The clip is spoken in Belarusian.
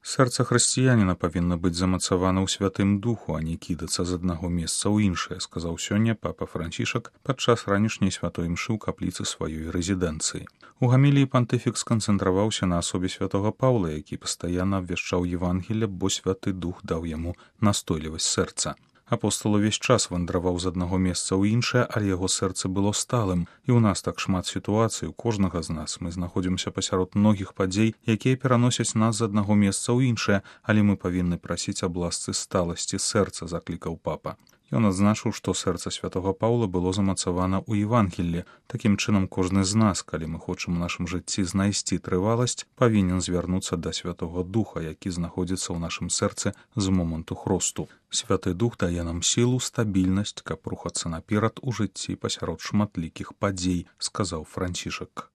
Сэрца хрысціяніна павінна быць замацавана ў святым духу, а не кідацца з аднаго месца ў іншае, сказаў сёння папа Францішак падчас ранішняй святой імшы ў капліцы сваёй рэзідэнцыі. У гаміліі пантыфік сканцэнтраваўся на асобе святога Паўла, які пастаянна абвяшчаў Евангелле, бо святы дух даў яму настойлівасць сэрца. Апостол увесь час вандраваў з аднаго месца ў іншае, але яго сэрца было сталым. І ў нас так шмат сітуацый, у кожнага з нас. Мы знаходзімся пасярод многіх падзей, якія пераносяць нас з аднаго месца ў іншае, але мы павінны прасіць аб ласцы сталасці сэрца, заклікаў папа. Ён адзначыў, што сэрца святога Паўла было замацавана ў Евангеллі. Такім чынам, кожны з нас, калі мы хочам у нашым жыцці знайсці трываласць, павінен звярнуцца да святога духа, які знаходзіцца ў нашым сэрцы з моманту хросту. Святы дух дае нам сілу, стабільнасць, каб рухацца наперад у жыцці пасярод шматлікіх падзей, сказаў Францішак.